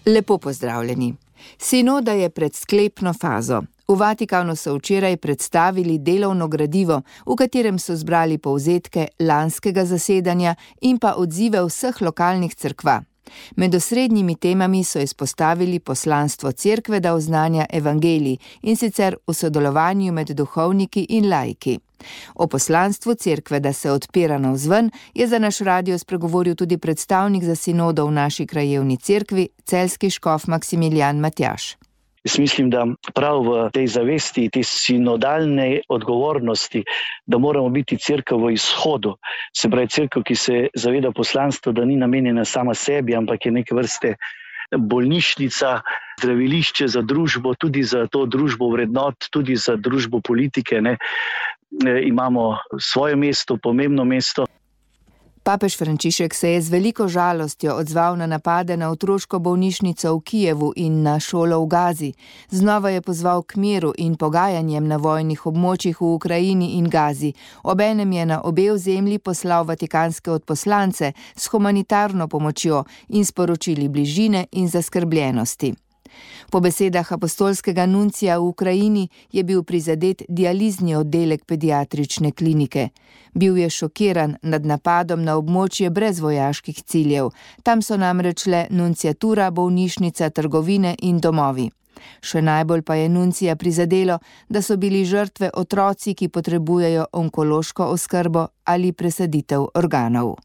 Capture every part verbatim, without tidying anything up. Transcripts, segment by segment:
Lepo pozdravljeni. Sinoda je pred sklepno fazo. V Vatikanu so včeraj predstavili delovno gradivo, v katerem so zbrali povzetke lanskega zasedanja in pa odzive vseh lokalnih cerkva. Med osrednjimi temami so izpostavili poslanstvo cerkve, da oznanja evangelij, in sicer v sodelovanju med duhovniki in laiki. O poslanstvu cerkve, da se odpira navzven, je za naš radio spregovoril tudi predstavnik za sinodo v naši krajevni cerkvi, celjski škof Maksimilijan Matjaž. Jaz mislim, da prav v tej zavesti, te sinodalne odgovornosti, da moramo biti cerkev v izhodu, se pravi cerkev, ki se zaveda poslanstva, da ni namenjena sama sebi, ampak je neke vrste bolnišnica, zdravilišče za družbo, tudi za to družbo vrednot, tudi za družbo politike. Ne. E, imamo svoje mesto, pomembno mesto. Papež Frančišek se je z veliko žalostjo odzval na napade na otroško bolnišnico v Kijevu in na šolo v Gazi. Znova je pozval k miru in pogajanjem na vojnih območjih v Ukrajini in Gazi. Obenem je na obe ozemlji poslal vatikanske odposlance s humanitarno pomočjo in sporočili bližine in zaskrbljenosti. Po besedah apostolskega nuncija v Ukrajini je bil prizadet dializni oddelek pediatrične klinike. Bil je šokiran nad napadom na območje brez vojaških ciljev. Tam so namreč le nunciatura, bolnišnica, trgovine in domovi. Še najbolj pa je nuncija prizadelo, da so bili žrtve otroci, ki potrebujejo onkološko oskrbo ali presaditev organov.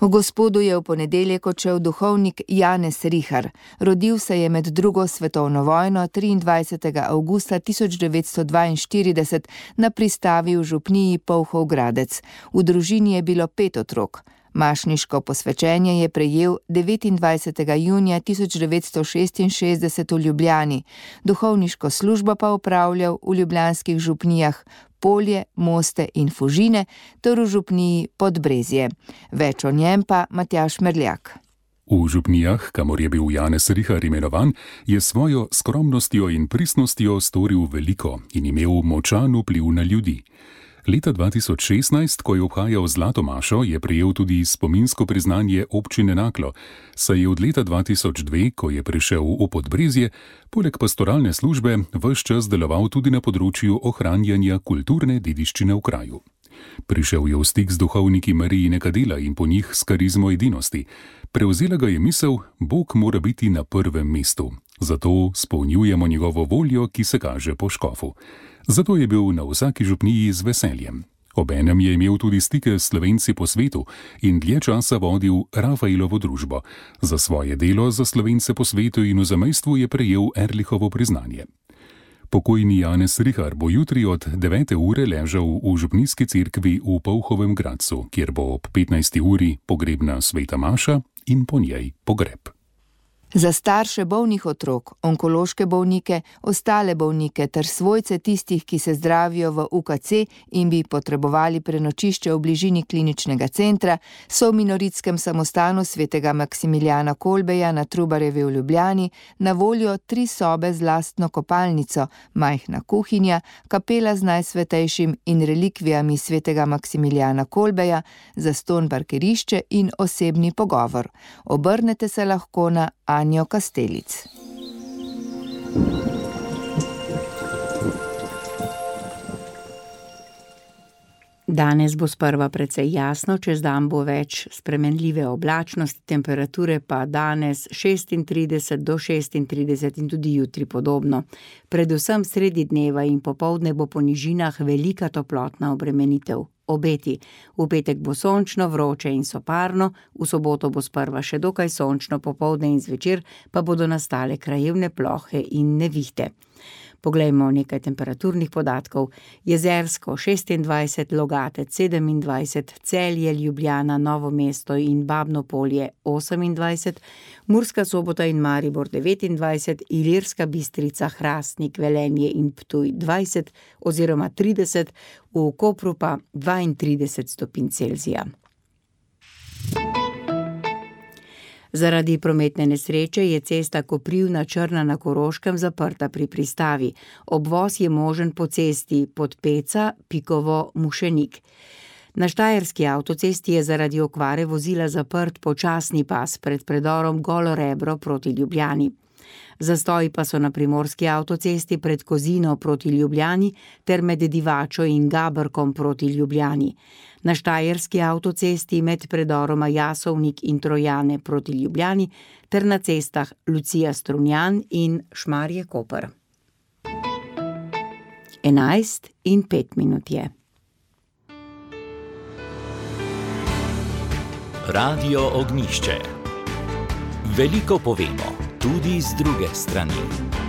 V Gospodu je v ponedeljek odšel duhovnik Janez Rihar. Rodil se je med drugo svetovno vojno triindvajsetega avgusta tisoč devetsto dvainštirideset na pristavi v župniji Polhov Gradec. V družini je bilo pet otrok. Mašniško posvečenje je prejel devetindvajsetega junija tisoč devetsto šestinšestdeset v Ljubljani. Duhovniško službo pa opravljal v ljubljanskih župnijah Polje, Moste in Fužine ter v župniji Podbrezje. Več o njem pa Matjaž Merljak. V župnijah, kamor je bil Janez Rihar imenovan, je svojo skromnostjo in pristnostjo storil veliko in imel močan vpliv na ljudi. Leta dva tisoč šestnajst, ko je obhajal Zlato mašo, je prejel tudi spominsko priznanje občine Naklo, saj je od leta dva tisoč dve, ko je prišel v Podbrezje, poleg pastoralne službe ves čas deloval tudi na področju ohranjanja kulturne dediščine v kraju. Prišel je v stik z duhovniki Marijinega dela in po njih s karizmo edinosti. Prevzela ga je misel, Bog mora biti na prvem mestu. Zato spolnjujemo njegovo voljo, ki se kaže po škofu. Zato je bil na vsaki župniji z veseljem. Obenem je imel tudi stike s Slovenci po svetu in dlje časa vodil Rafaelovo družbo. Za svoje delo za Slovence po svetu in v zamejstvu je prejel Erlichovo priznanje. Pokojni Janez Rihar bo jutri od devete ure ležal v župnijski cerkvi v Polhovem Gradcu, kjer bo ob petnajsti uri pogrebna sveta maša in po njej pogreb. Za starše bolnih otrok, onkološke bolnike, ostale bolnike ter svojce tistih, ki se zdravijo v U K C in bi potrebovali prenočišče v bližini kliničnega centra, so v minoritskem samostanu svetega Maksimilijana Kolbeja na Trubarjevi v Ljubljani na voljo tri sobe z lastno kopalnico, majhna kuhinja, kapela z najsvetejšim in relikvijami svetega Maksimilijana Kolbeja, zastonj parkirišče in osebni pogovor. Obrnete se lahko na Anjo Kastelic. Danes bo sprva precej jasno, čez dan bo več spremenljive oblačnosti, temperature pa danes šestintrideset do šestintrideset in tudi jutri podobno. Predvsem sredi dneva in popoldne bo po nižinah velika toplotna obremenitev. Obeti. V petek bo sončno, vroče in soparno, v soboto bo sprva še dokaj sončno, popoldne in zvečer pa bodo nastale krajevne plohe in nevihte. Poglejmo nekaj temperaturnih podatkov. Jezersko šestindvajset, Logatec sedemindvajset, Celje, Ljubljana, Novo mesto in Babno Polje osemindvajset, Murska Sobota in Maribor devetindvajset, Ilirska Bistrica, Hrastnik, Velenje in Ptuj dvajset oziroma trideset, v Kopru pa dvaintrideset stopinj Celzija. Zaradi prometne nesreče je cesta Koprivna-Črna na Koroškem zaprta pri pristavi. Obvoz je možen po cesti Podpeca, Pikovo, Mušenik. Na štajerski avtocesti je zaradi okvare vozila zaprt počasni pas pred predorom Golo Rebro proti Ljubljani. Zastoji pa so na primorski avtocesti pred Kozino proti Ljubljani ter med Divačo in Gabrkom proti Ljubljani. Na štajerski avtocesti med predoroma Jasovnik in Trojane proti Ljubljani ter na cestah Lucija Strunjan in Šmarje Koper. Enajst in pet minut je. Radio Ognjišče. Veliko povemo, tudi z druge strani.